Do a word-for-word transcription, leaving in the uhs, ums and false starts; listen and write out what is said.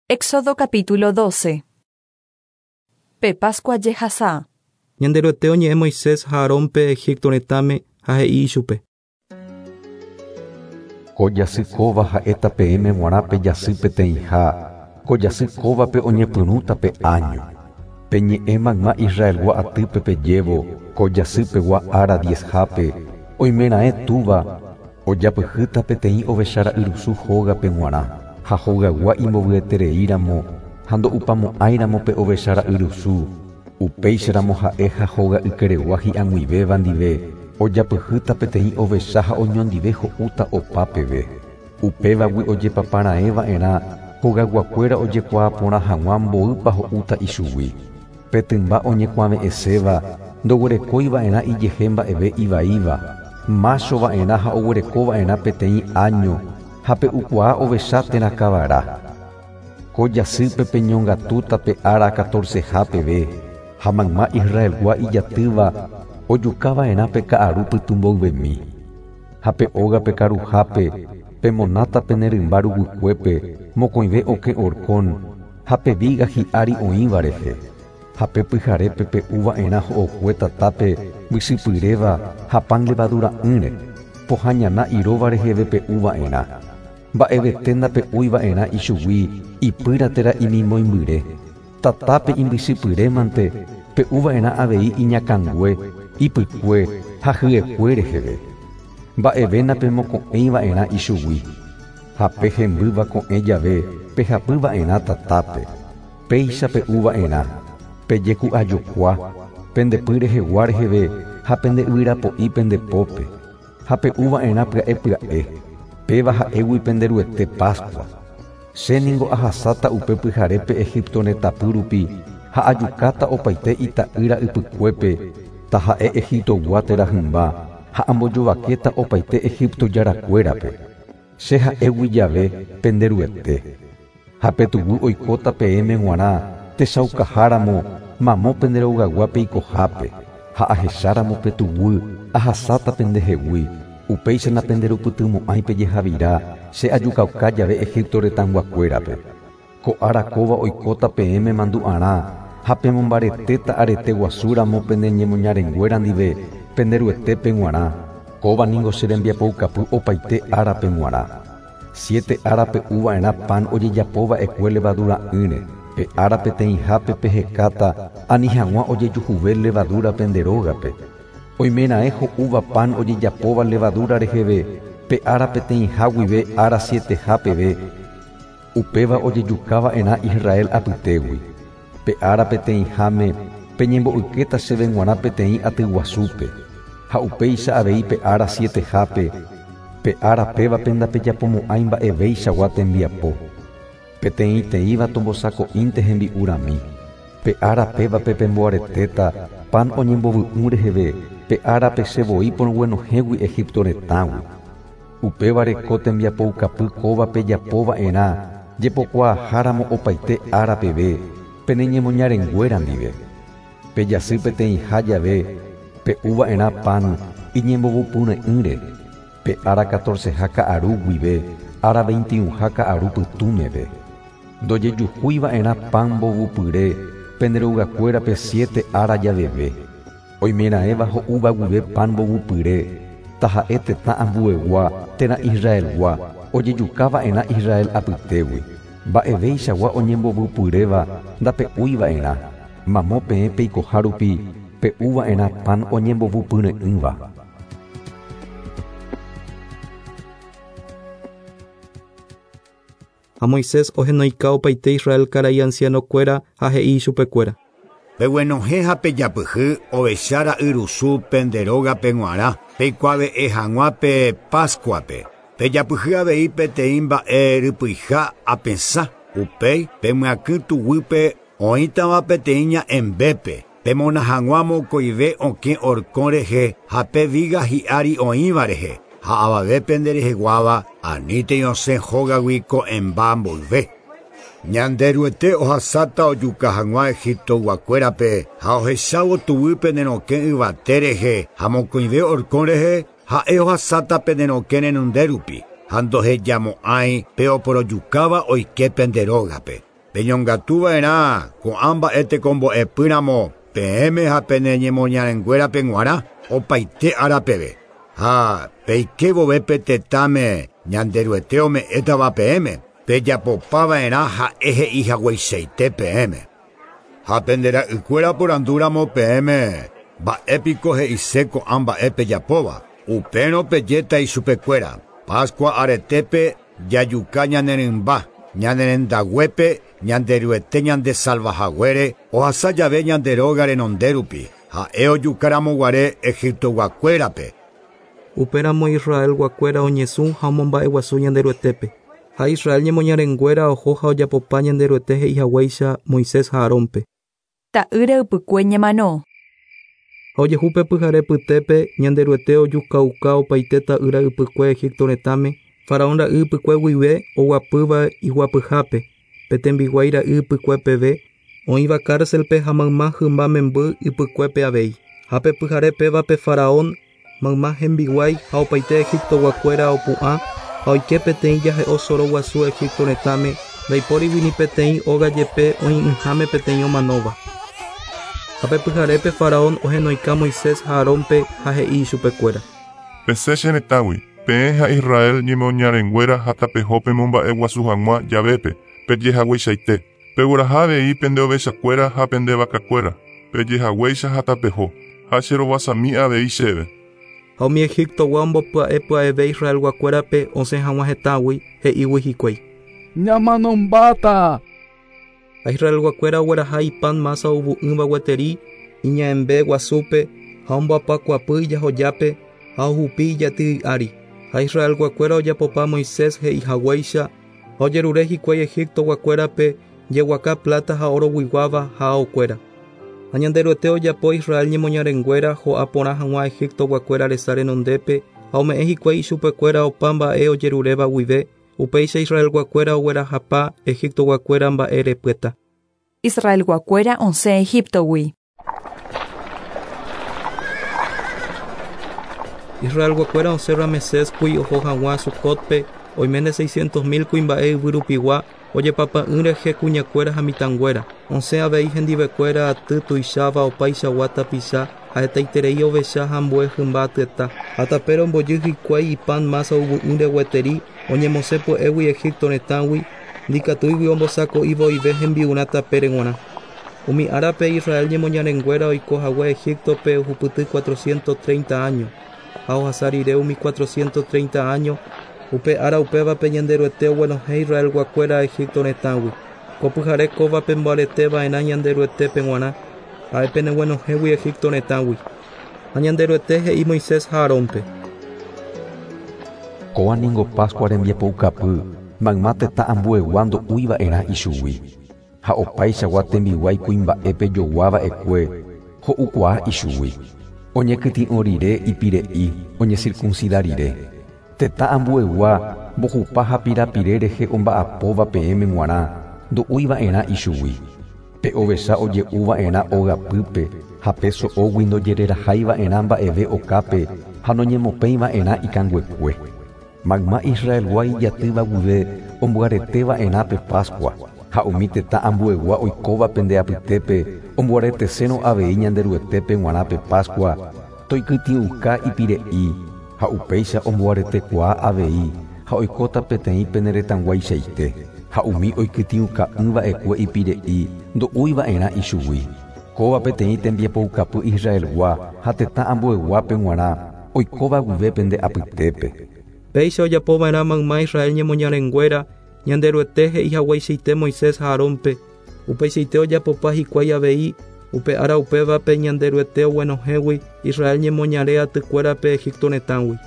Éxodo capítulo doce. Pe Pascua jehasa. Ñanderuete oñe'ẽ Moisés ha Aarónpe Egipto retãme ha he'i ichupe. Ko jasy kóva ha'éta peẽme g̃uarã pe jasy peteĩha, ko jasy kóvape oñepyrũta pe año. Peñe'ẽ mayma Israelgua atýpe pejévo, ko jasypegua ára diezhápe, oimeraẽ túva, ojapyhýta peteĩ ovechara'yrusu hógape g̃uarã, ha hogaygua imbovy'etereíramo ha ndo'upamo'ãiramo pe ovechara'yrusu, upéicharamo ha'e ha hoga'ykeregua hi'ag̃uivéva ndive, ojapyhýta peteĩ ovecha ha oñondive ho'úta opa peve. Upévagui ojepaparaẽva'erã hogayguakuéra ojekuaaporã hag̃ua mboýpa ho'úta ichugui. Pe tymba oñekuave'ẽséva ndoguerekóiva'erã ijehe mba'eve ivaíva, máchova'erã ha oguerekova'erã peteĩ año ha pe'ukuaa ovecha térã kavara. Ko jasýpe peñongatúta pe ára catorceha peve, ha mayma Israelgua ijatýva ojukava'erã pe ka'aru pytũmboyvemi. Ha pe ógape karuhápe pemonáta pene rymba ruguykuépe mokõive okẽ horkón ha pe viga hi'ári oĩva rehe. Ha pe pyharépe pe'uva'erã ho'okue tatápe mbychypyréva ha pan levadura'ỹre, pohã iróva reheve pe'uva'erã. Mba'evete ndape'úiva'erã ichugui ipýra térã imimoimbyre. Tatápe imbychypyrémante pe'uva'erã avei iñakãngue, ipykue ha hyekue reheve. Mba'eve napemoko'ẽiva'erã ichugui. Ha pe hembýva ko'ẽ jave pehapyva'erã tatápe. Péicha pe'uva'erã. Pejeku'ajokua, pendepy rehegua reheve ha pende yvyrapo'i pendepópe. Ha pe'uva'erã pya'e pya'e. Péva ha'égui penderuete Pascua. Che ningo ahasáta upe pyharépe Egipto retãpy rupi ha ajukáta opaite ita'ýra ypykuépe, taha'e Egiptogua térã hymba ha ambojovakéta opaite Egipto jarakuérape. Che ha'égui jave penderuete. Ha pe tuguy oikóta peẽme g̃uarã techaukaháramo mamo penderogagua peikohápe, ha ahecháramo pe tuguy ahasáta pendehegui. Upéicha napenderupytymo'ãi pejehavira che ajukauka jave Egipto retãyguakuérape. Ko ára kóva oikóta peẽme mandu'arã ha pemombaretéta arete guasúramo pene ñemoñarenguéra ndive penderuetépe g̃uarã. Kóva ningo che rembiapoukapy opaite árape g̃uarã. Siete ára pe'uva'erã pan ojejapóva'ekue levadura'ỹre. Pe ára peteĩhápe pehekáta ani hag̃ua ojejuhuve levadura pende rógape. Oimeraẽ ho'úva pan ojejapóva levadura reheve pe ára peteĩha guive ára sieteha peve, upéva ojejukava'erã Israel apytégui. Pe ára peteĩháme peñembo'ykéta chéve g̃uarã peteĩ atyguasúpe, ha upéicha avei pe ára sietehápe, pe ára pévape ndapejapomo'ãi mba'evéichagua tembiapo. Peteĩteĩva tombosako'ínte hembi'urami. Pe ára pévape pemboaretéta pan oñembovy'ũ reheve pe árape che voi porõguenohẽgui Egipto retãgui. Upévare ko tembiapoukapy kóva pejapova'erã jepokuaaháramo opaite ára peve pene ñemoñarenguéra ndive. Pe jasy peteĩha jave pe'uva'erã pan iñembovupyre'ỹre, pe ára catorceha ka'aru guive ára veintiunha ka'aru pytũmeve. Ndojejuhúiva'erã pan mbovupyre pende rogakuérape siete ára javeve. Oimeraẽva ho'úva guive pan mbovupyre, taha'e tetã ambuegua térã Israelgua, ojejukava'erã Israel apytégui. Mba'evéichagua oñembovupyréva ndape'úiva'erã. Mamo peẽ peikoha rupi pe'uva'erã pan oñembovupyre'ỹva. Ha Moisés ohenoika opaite Israel karai ancianokuéra ha he'i ichupekuéra. Peguenohẽ ha pejapyhy ovechara'yrusu pende rógape g̃uarã, peikuave'ẽ hag̃ua pe Pascuape. Pejapyhy avei peteĩ mba'e rypyiha apesã, upéi pemyakỹ tuguýpe oĩtava peteĩ ña'ẽmbépe, pemona hag̃ua mokõive okẽ horkõ rehe ha pe viga hi'ári oĩva rehe, ha avave pendereheguáva anítei osẽ hógagui ko'ẽmba mboyve. Ñanderuete ohasáta ojuka hag̃ua Egiptoguakuérape ha ohechávo tuguy pene rokẽ yvate rehe ha mokõive horkõ rehe ha'e ohasáta pene rokẽ renonde rupi ha ndohejamo'ãi pe oporojukáva oike pende rógape. Peñongatuva'erã ko'ã mba'e tekombo'epýramo peẽme ha pene ñemoñarenguérape g̃uarã opaite árapeve. Ha peike vove pe tetãme Ñanderuete ome'ẽtava peẽme pejapopava'erã ha'e he'i hagueichaite peẽme. Ha pendera'ykuéra porandúramo peẽme mba'épiko he'ise ko'ã mba'e pejapóva. Upérõ pejéta ichupekuéra. Pascua aretépe jajuka ñanerymba, ñanerendaguépe Ñanderuete ñandesalvahaguére ohasa jave ñande róga renondérupi. Ha'e ojukaramoguare Egiptoguakuérape. Upéramo Israelguakuéra oñesũ ha omomba'eguasu Ñanderuetépe. Ha Israel ñemoñarenguéra oho ha ojapopa Ñanderuete he'ihaguéicha Moisés ha Aarónpe. Ta'ýra ypykue ñemano. Ha ojehu pe pyhare pytépe Ñanderuete ojukauka opaite ta'ýra ypykue Egipto retãme, Faraón ra'y ypykue guive oguapýva iguapyhápe, pe tembiguái ra'y ypykue peve, oĩva cárcelpe ha mayma hymba memby ypykuépe avei. Ha pe pyhare pévape Faraón mayma hembiguái ha opaite Egiptoguakuéra opu'ã ha oike peteĩ jahe'o soro guasu Egipto retãme, ndaipórigui ni peteĩ óga jepe oĩ'ỹháme peteĩ omanóva. Ha pe pyharépe Faraón ohenoika Moisés ha Aarónpe ha he'i ichupekuéra. Pesẽ che retãgui, peẽ ha Israel ñemoñarenguéra ha tapeho pemomba'eguasu hag̃ua javépe, pejehagueichaite. Pegueraha avei pende ovechakuéra ha pende vakakuéra, pejehaguéicha ha tapeho, ha cherovasami avei chéve. Ha umi Egiptogua ombopya'epya'eve Israelguakuérape osẽ hag̃ua hetãgui he'ígui hikuái. Ñamanombáta. Ha Israelguakuéra ogueraha ipan masa ovu'ỹva gueteri iña'ẽmbe guasúpe ha omboapakuapy ijahojápe ha ohupi ijaty ári. Ha Israelguakuéra ojapopa Moisés he'ihaguéicha ha ojerure hikuái Egiptoguakuérape jeguaka plata ha oroguiguáva ha aokuéra. Ha Ñanderuete ojapo Israel ñemoñarenguéra ho'a porã hag̃ua Egiptoguakuéra resa renondépe ha ome'ẽ hikuái ichupekuéra opa mba'e ojeruréva guive, upéicha Israelguakuéra oguerahapa Egiptoguakuéra mba'e repyeta. Israelguakuéra osẽ Egiptogui. Israelguakuéra osẽ Ramesésgui oho hag̃ua Sucotpe oiméne seiscientos mil kuimba'e yvyrupigua ojepapa'ỹ rehe kuñakuéra ha mitãnguéra. Osẽ avei hendivekuéra aty tuicháva opaichagua tapicha ha hetaiterei ovecha ha ambue hymba atyeta. Ha tapére ombojy hikuái ipan masa ovu'ỹre gueteri oñemosẽ pya'égui Egipto retãgui ndikatúigui ombosako'i voive hembi'urã tapére g̃uarã. Umi árape Israel ñemoñarenguéra oiko hague Egiptope ohupyty cuatrocientos treinta años. Ha ohasa rire umi cuatrocientos treinta años, upe ára upévape Ñanderuete oguenohẽ Israelguakuéra Egipto retãgui. Ko pyhare kóvape mboareteva'erã Ñanderuetépe g̃uarã, ha'e peneguenohẽgui Egipto retãgui. Ha Ñanderuete he'i Moisés ha Aarónpe. Kóa ningo Pascua rembiapoukapy, mayma tetã ambuegua ndo'úiva'erã ichugui. Ha opaichagua tembiguái kuimba'e pejoguáva'ekue ho'ukuaa ichugui. Oñekytĩ'o rire ipire'i oñecircuncida rire. Tetã ambuegua mbohupa ha pirapire rehe omba'apóva peẽme g̃uarã ndo'úiva'erã ichugui. Pe ovecha oje'úva'erã ógapýpe ha pe so'ógui ndojereraháiva'erã mba'eve okápe ha noñemopẽiva'erã ikanguekue. Mayma Israelgua ijatýva guive omboareteva'erã pe Pascua ha umi tetã ambuegua oikóva pende apytépe omboaretesérõ avei Ñanderuetépe g̃uarã pe Pascua toikytĩ'uka ipire'i ha upéicha omboaretekuaa avei ha oikóta peteĩ pene retãguaichaite ha umi oikytĩuka'ỹva'ekue ipire'i ndo'úiva'erã ichugui. Kóva peteĩ tembiapoukapy Israelgua ha tetã ambueguápe g̃uarã oikóva guive pende apytépe. Péicha ojapova'erã mayma Israel ñemoñarenguéra Ñanderuete he'ihagueichaite Moisés ha Aarónpe. Upeichaite ojapopa hikuái avei upe ára upévape Ñanderuete oguenohẽgui Israel ñemoñare atykuérape Egipto retãgui.